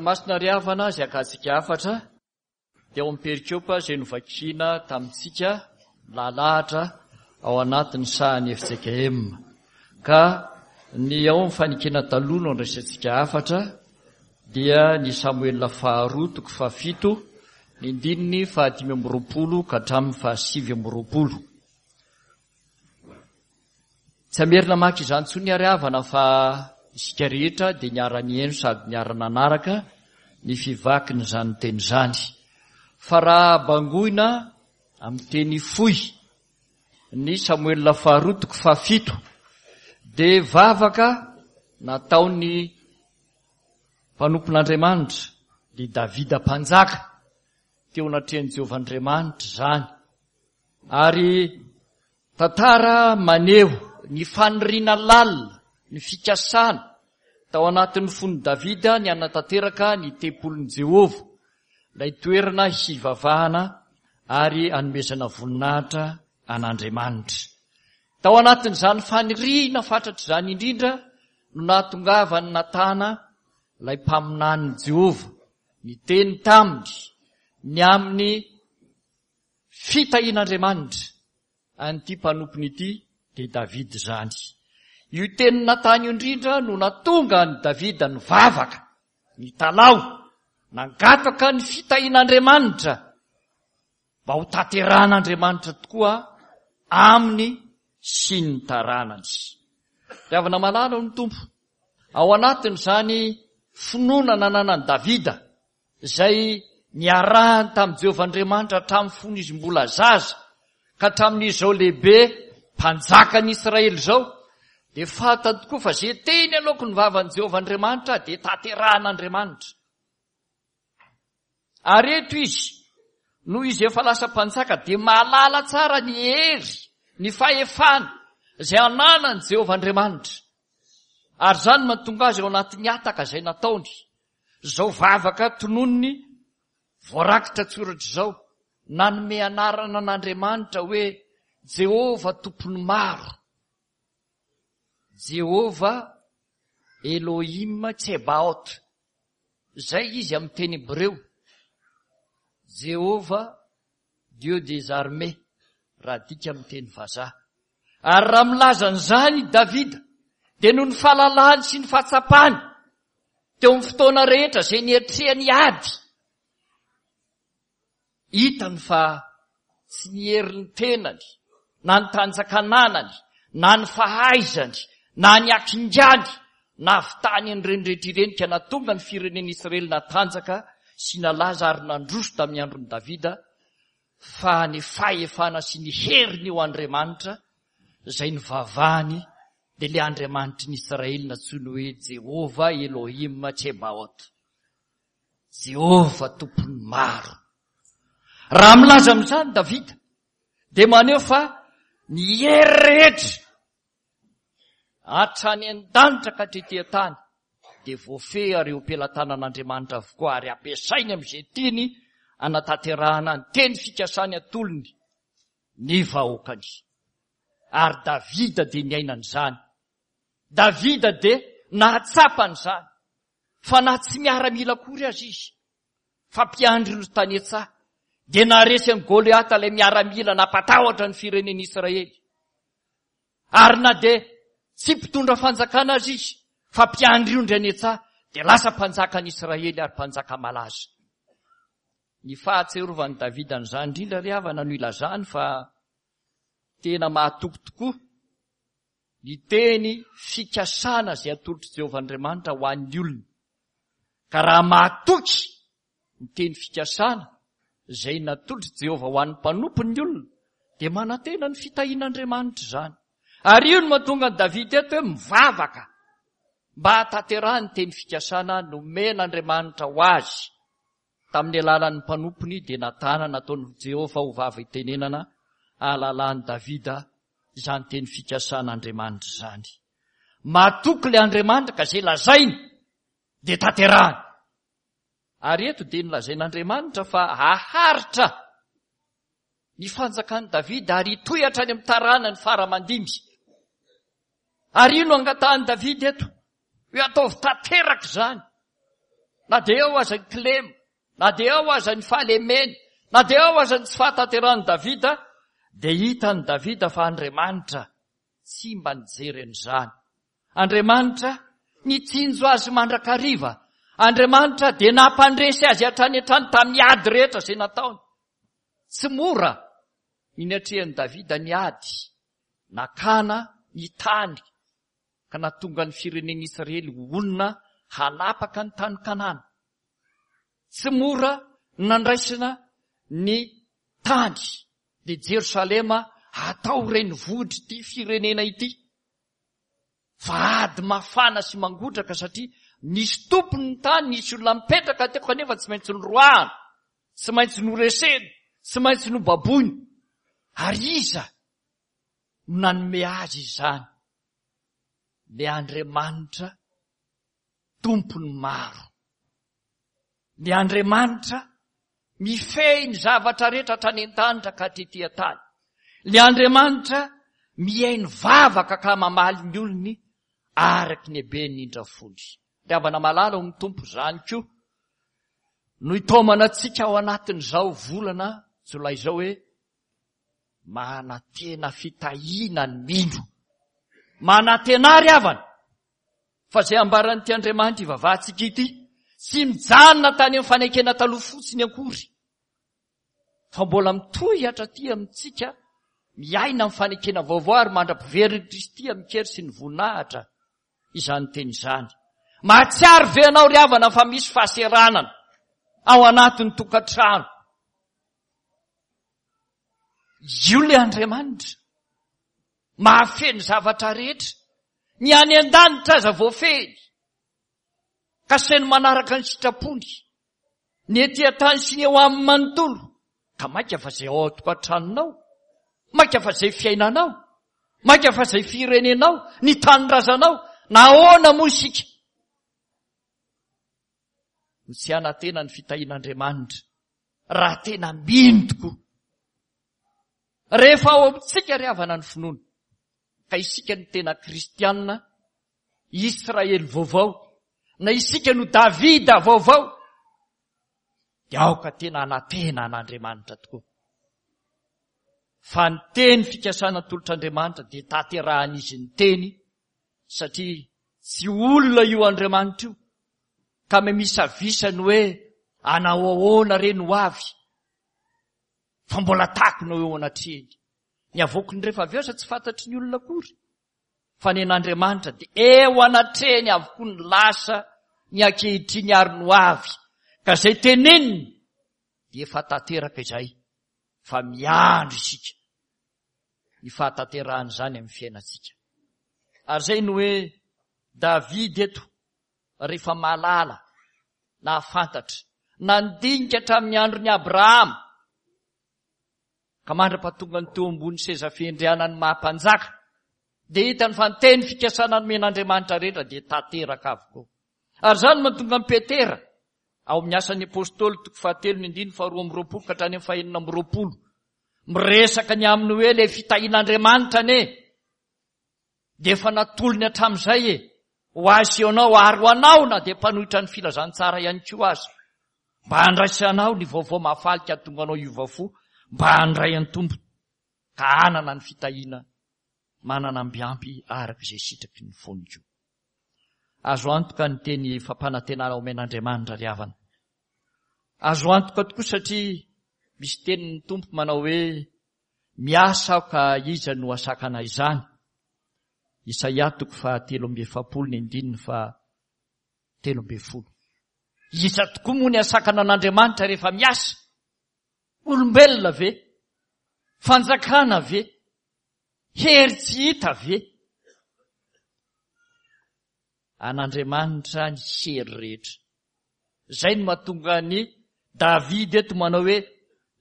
Masina ry havana izay akantsika hafatra dia ao amin'ny perikopa izay novakiana tamintsika lalahatra ao anatin'ny sahan'ny FJKM. Ka ny ao amin'ny fanekena taloha no andraisantsika hafatra dia ny Samoela faharoa toko fahafito ny ndininy fahadimy amby roapolo ka hatramin'ny fahasivy amby roapolo. Tsy hamerina maka izany intsony ary havana fa isika rehetra dia niara-nihaino sady niara-nanaraka ny fivakin'izany teny izany. Fa raha bangoina amin'ny teny fohy ny Samoela faharoa toko fahafito dia vavaka nataon'ny mpanompon'Andriamanitra dia Davida mpanjaka teo anatrehan'i Jehovah Andriamanitra izany. Ary tantara maneho ny faniriana lalina, ny fikasana tao anatin'ny fon'i Davida ny hanatanteraka ny tempolin'i Jehovah, ilay toerana hivavahana ary hanomezana voninahitra an'Andriamanitra. Tao anatin'izany faniriana fatratra izany indrindra no nahatongavan'i Natana, ilay mpaminanin'i Jehovah, niteny taminy ny amin'ny Fitahian'Andriamanitra an'ity mpanompony ity dia Davida izany. Io tenin'i Natana io indrindra no nahatonga an'i Davida nivavaka, nitalaho, nangataka ny fitahian'Andriamanitra mba ho tanterahan'Andriamanitra tokoa aminy sy ny taranany. Ry havana malala ao ny Tompo, ao anatin'izany finoana nananan'i Davida izay niarahany tamin'i Jehovah Andriamanitra hatramin'ny fony izy mbola zaza ka hatramin'izy izao lehibe mpanjakan'ny Israely izao, dia fantany tokoa fa izay teny aloaky ny vavan'i Jehovah Andriamanitra dia tanterahan'Andriamanitra. Ary eto izy, noho izy efa lasa mpanjaka, dia mahalala tsara ny hery, ny fahefana izay ananan'i Jehovah Andriamanitra. Ary izany mahatonga azy ao anatin'ny hataka izay nataony. Izao vavaka tononiny voarakitra an-tsoratra izao, nanome anarana an'Andriamanitra hoe Jehovah Tompon'ny maro, Jehovah Elohim Tsebaot, izay izy amin'ny teny hebreo, Jehovah Dieu des armées, raha adika amin'ny teny vazaha. Ary raha milaza an'izany i Davida, dia noho ny fahalalany sy ny fahatsapany teo amin'ny fotoana rehetra izay niatrehany ady, hitany fa tsy ny herin'ny tenany, na ny tanjakananany, na ny fahaizany, na ny hakingany, nahavitany an'ireny rehetra ireny ka nahatonga ny firenen'Israely natanjaka sy nalaza ary nandroso tamin'ny andron'i Davida, fa ny fahefana sy ny herin'io Andriamanitra izay nivavahany dia ilay Andriamanitry ny Israely nantsoiny hoe Jehovah Elohim Tsebaot. Jehovah Tompon'ny maro. Raha milaza amin'izany Davida dia maneho fa ny hery rehetra Hatrany an-danitra ka hatrety an-tany dia voafehy ary eo am-pelatanan'Andriamanitra avokoa ary ampiasainy amin'izay tiany hanatanterahana ny teny fikasany atolony ny vahoakany. Ary Davida dia niaina an'izany. Davida dia nahatsapa an'izany fa na tsy miaramila akory aza izy fa mpiandry ny tany an-tsaha dia naharesy an'i Goliata ilay miaramila nampatahotra ny firenen'Israely. Ary na dia tsy mpitondra fanjakana aza izy, fa mpiandry ondry any an-tsaha, dia lasa mpanjakan'i Israely ary mpanjaka malaza. Ny fahatsiarovan'i Davida an'izany indrindra ry havana no ilazany fa tena mahatoky tokoa ny teny fikasana izay atolotr'i Jehovah Andriamanitra ho an'ny olona. Ka raha mahatoky ny teny fikasana izay natolotr'i Jehovah ho an'ny mpanompony ny olona, dia manantena ny fitahian'Andriamanitra izany. Ary io no mahatonga an'i Davida eto hoe mivavaka mba hahatanterahany ny teny fikasana nomen'Andriamanitra ho azy tamin'ny alalan'ny mpanompony dia Natana nataon'i Jehovah ho vava itenenana hahalalan'i Davida izany teny fikasan'Andriamanitra izany. Matoky ilay Andriamanitra ka izay lazainy dia tanterahany. Ary eto dia nolazain'Andriamanitra fa haharitra ny fanjakan'i Davida ary hitohy hatrany amin'ny taranany fara aman-dimby. Ary io no angatahan'i Davida eto, hoe ataovy tanteraka izany. Na dia eo aza ny kilema, na dia eo aza ny fahalemeny, na dia eo aza ny tsy fahatanterahan'i Davida, dia hitan'i Davida fa Andriamanitra tsy mba nijery an'izany. Andriamanitra nitsinjo azy mandrakariva. Andriamanitra dia nampandresy azy hatrany hatrany tamin'ny ady rehetra izay nataony. Tsy mora ny niatrehan'i Davida ny ady nakana ny tany ka nahatonga ny firenen'Israely ho olona hanapaka ny tany Kanana. Tsy mora ny nandraisana ny tany dia Jerosalema hatao renivohitr'ity firenena ity. Fa ady mafana sy mangotraka satria nisy tompony ny tany, nisy olona mipetraka teo kanefa tsy maintsy noroahana, tsy maintsy noresena, tsy maintsy nobaboina. Ary iza no nanome azy izany? Ilay Andriamanitra Tompon'ny maro. Ny Andriamanitra mifehy ny zavatra rehetra hatrany an-danitra ka hatrety an-tany. Ny Andriamanitra mihaino vavaka ka mamaly ny olony araky ny haben'ny indra fony. Ry havana malala ao amin'ny Tompo, izany koa no itaomana antsika ao anatin'izao volana jolay izao hoe manantena fitahiana ny mino. Manantena ry havana Fa izay ambaran'ity Andriamanitra ivavahantsika ity, tsy mijanona tany amin'ny fanekena taloha fotsiny akory, fa mbola mitohy hatraty amintsika miaina amin'ny fanekena vaovao ary mandra-piverin'i Kristy amin-kery sy ny voninahitra izany teny izany. Mahatsiaro ve ianao ry havana fa misy fahaseranana ao anatin'ny tokantrano? Io ilay Andriamanitra. Mahafehy ny zavatra rehetra. Ny any an-danitra aza voafehiny. Ka saino manaraka ny sitrapony. Ny ety an-tany sy ny eo aminy manontolo. Ka mainka fa izay ao an-tokantranonao. Mainka fa izay fiainanao. Mainka fa izay firenenao. Ny tanindrazanao. Nahoana moa isika no tsy hanantena ny fitahian'Andriamanitra raha tena mino tokoa? Rehefa ao amintsika ry havana ny finoana, ka isika no tena kristiana, Israely vaovao, na isika no Davida vaovao, dia aoka tena hanantena an'Andriamanitra tokoa. Fa ny teny fikasana atolotr'Andriamanitra dia tanterahan'izy ny teny, satria tsy olona io Andriamanitra io, ka mimisavisa ny hoe anao ahoana re no avy, fa mbola takona eo anatrehany. Ny avoakiny rehefa avy eo aza tsy fantatry ny olona akory. Fa ny an'Andriamanitra dia eo anatrehany avokoa ny lasa, ny ankehitriny ary ny ho avy. Ka izay teneniny dia efa tanteraka izay fa miandry isika ny fahatanterahan'izany amin'ny fiainantsika. Ary izay no hoe David eto rehefa mahalala, nahafantatra, nandinika hatramin'ny andron'i Abrahama, ka mandra-pahatongany teo ambony seza fiandrianan'ny maha mpanjaka, dia hitany fa ny teny fikasana nomen'Andriamanitra rehetra dia tanteraka avokoa. Ary izany no mahatonga an'i Petera, ao amin'ny Asan'ny Apostoly toko fahatelo ny andininy faharoa amby roapolo ka hatrany amin'ny fahenina amby roapolo, miresaka ny amin'ny hoe ilay fitahian'Andriamanitra anie, dia efa natolony hatramin'izay e, ho ahy sy ianao ary ho anao na dia mpanohitra ny filazantsara ihany koa aza, mba handraisanao ny vaovao mahafaly ka hahatonga anao hiova fo mba handray an'ny Tompo ka hanana ny fitahiana manana ambiampy araka izay sitraky ny fony koa. Azo antoka ny teny fampanantenana omen'Andriamanitra ry havana. Azo antoka tokoa satria misy tenin'ny Tompo manao hoe Miasa aho ka iza no hasakana izany? Isaia toko faha 43 ny andininy faha 13. Iza tokoa moa ny hasakana an'Andriamanitra rehefa miasa? Olombelona ve? Fanjakana ve? Hery tsy hita ve? An'Andriamanitra ny hery rehetra. Izay no mahatonga an'i Davida eto manao hoe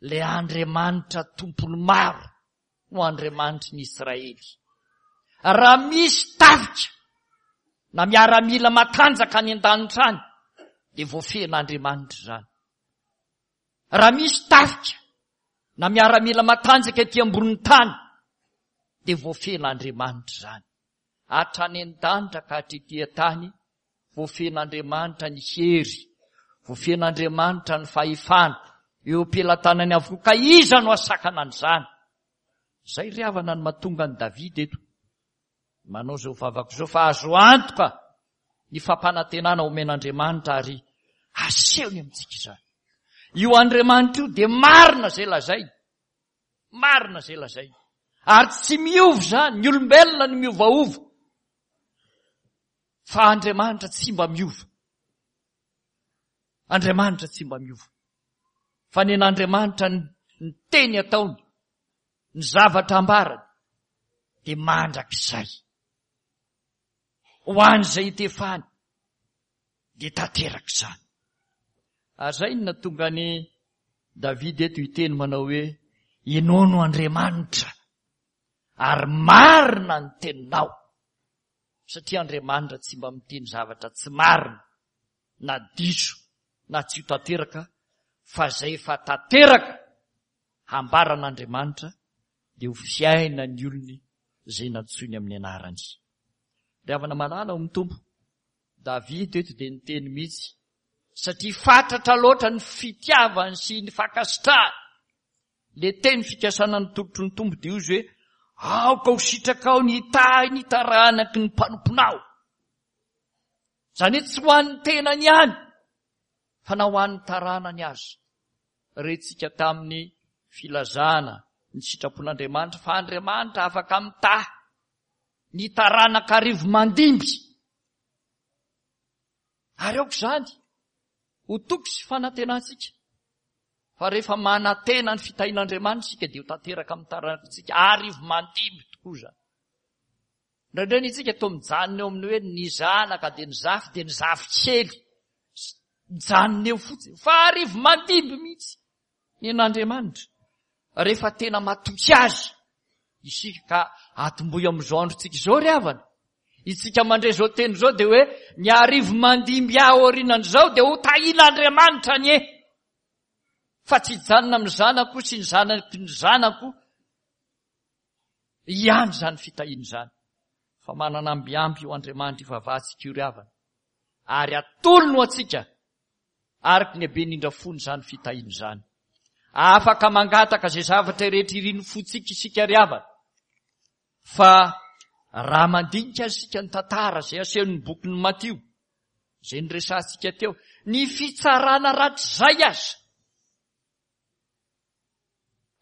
ilay Andriamanitra tompon'ny maro no Andriamanitry ny Israely. Raha misy tafika na miaramila matanjaka any an-danitra any dia voafehin'Andriamanitra izany. Raha misy tafika na miaramila matanjaka ety ambonin'ny tany dia voafehin'Andriamanitra izany. Hatrany an-danitra ka hatrety an-tany, voafehin'Andriamanitra ny hery. Voafehin'Andriamanitra ny fahefana eo am-pelatanany avokoa ka iza no hasakana an'izany? Izay ry havana no mahatonga an'i Davida eto manao izao vavaka izao fa azo antoka ny fampanantenana omen'Andriamanitra ary asehony amintsika izany. Io Andriamanitra io dia marina izay lazainy. Marina izay lazainy. Ary tsy miova izany, ny olombelona no miovaova. Fa Andriamanitra tsy mba miova. Andriamanitra tsy mba miova. Fa ny an'Andriamanitra ny teny ataony, ny zavatra ambarany, dia mandrakizay. Ho an'izay itefany, dia tanteraka izany. Ary izay no nahatonga an'i Davida eto hiteny manao hoe, Ianao no Andriamanitra, ary marina ny teninao. Satria Andriamanitra tsy mba miteny zavatra tsy marina, na diso, na tsy ho tanteraka, fa izay efa tanteraka hambaran'Andriamanitra dia ho fiainan'ny olony izay nantsoiny amin'ny anarany. Ry havana malala ao amin'ny Tompo, Davida eto dia niteny mihitsy satria fatratra loatra ny fitiavany sy ny fankasitrahany. Le teny fikasana ny tolotry ny Tompo dia izy hoe aoka ho sitrakao ny hitahy ny taranaky ny mpanomponao. Izany hoe tsy ho an'ny tenany ihany fa na ho an'ny taranany aza. Rentsika tamin'ny filazana ny sitrapon'Andriamanitra fa Andriamanitra afaka mitahy ny taranaka arivo mandimby. Ary aoka izany ho toky sy fanantenantsika fa rehefa manantena ny fitahian'Andriamanitra isika dia ho tanteraka amin'ny taranakitsika arivo mandimby tokoa izany. Indraindray ny isika toa mijanona eo amin'ny hoe ny zanaka dia ny zafy dia ny zafikely. Mijanona eo fotsiny. Fa arivo mandimby mihitsy ny an'Andriamanitra. Rehefa tena matoky azy isika ka atombohy amin'izao androntsika izao ry havana. Isika mandre izao teny izao dia hoe ny arivo mandimby ahy aorianan'izao dia ho tahian'Andriamanitra anie. Fa tsy hijanona amin'ny zanako sy ny zanaky ny zanako ihany izany fitahiana izany. Fa manana ambiamby io Andriamanitra ivavahantsika io ry havana. Ary atolony ho antsika araka ny haben'indra fony izany fitahiana izany. Afaka mangataka izay zavatra rehetra irin'ny fontsika isika ry havana. Fa raha mandinika isika ny tantara izay asehon'ny bokin'i Matio, izay niresahantsika teo, ny fitsarana rahatrizay aza,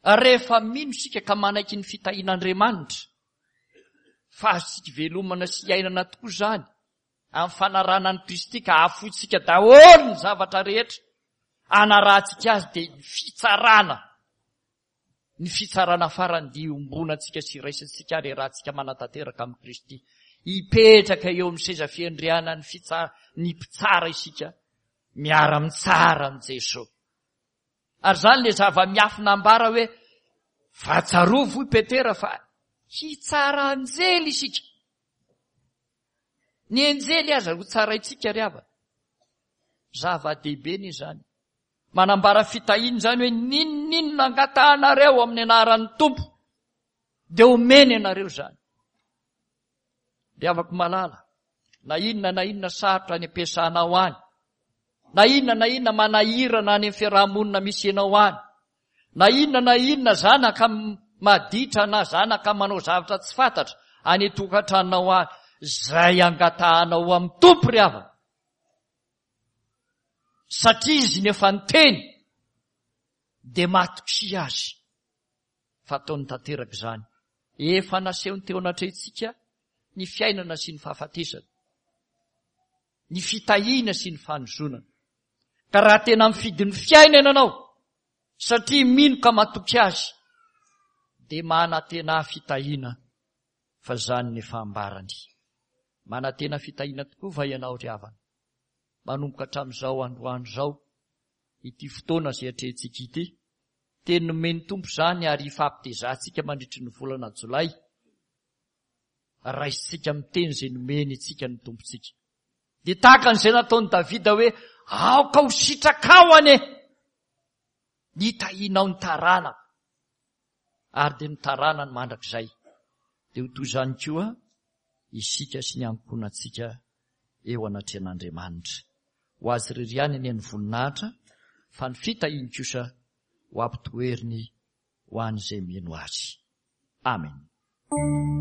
Rehefa mino isika ka manaiky ny fitahian'Andriamanitra, fa azontsika ivelomana sy iainana tokoa izany, amin'ny fanarahana an'i Kristy ka afointsika daholo ny zavatra rehetra anarahantsika azy dia ny fitsarana, ny fitsarana farany dia iombonantsika sy iraisantsika ary iarahantsika manatanteraka amin'i Kristy. Hipetraka eo amin'ny seza fiandrianan'ny fitsa- ny mpitsara isika, miara-mitsara amin'i Jesosy. Ary izany ilay zava-miafina ambara hoe, fa tsarovy hoy Petera fa hitsara anjely isika. Ny anjely aza ho tsaraintsika ry havana. Zava-dehibe ny izany. Manambara fitahiana izany hoe n'inon'inona angatahanareo amin'ny anaran'ny Tompo dia omeny ianareo izany. Ry havako malala, na inona na inona sarotra any am-piasanao any, na inona na inona manahirana any amin'ny fiaraha-monina misy ianao any, na inona na inona zanaka maditra na zanaka manao zavatra tsy fantatra any an-tokantranonao any, izay angatahanao amin'ny Tompo ry havana, satria Izy no efa niteny, dia matokia Azy. fa ataony tanteraka izany. Efa nasehony teo anatrehantsika ny fiainana sy ny fahafatesana, ny fitahiana sy ny fanozonana. Ka raha tena mifidy ny fiainana ianao, satria mino ka matoky azy, dia manantena fitahiana fa izany ny efa ambarany. Manantena fitahiana tokoa va ianao ry havana? Manomboka hatramin'izao androany izao, ity fotoana izay atrehintsika ity, Teny nomen'ny Tompo izany ary hifampitezantsika mandritry ny volana Jolay. Raisintsika amin'ny teny izay nomeny antsika ny Tompontsika. Dia tahaka an'izay nataon'i Davida hoe, aoka ho sitrakao anie ny tahianao ny taranako. Ary dia ny taranany mandrakizay. Dia ho toy izany koa isika sy ny ankohonantsika eo anatrehan'Andriamanitra. Ho Azy irery ihany anie ny voninahitra, fa ny fitahiany kosa ho ampitoeriny ho an'izay mino Azy. Amen.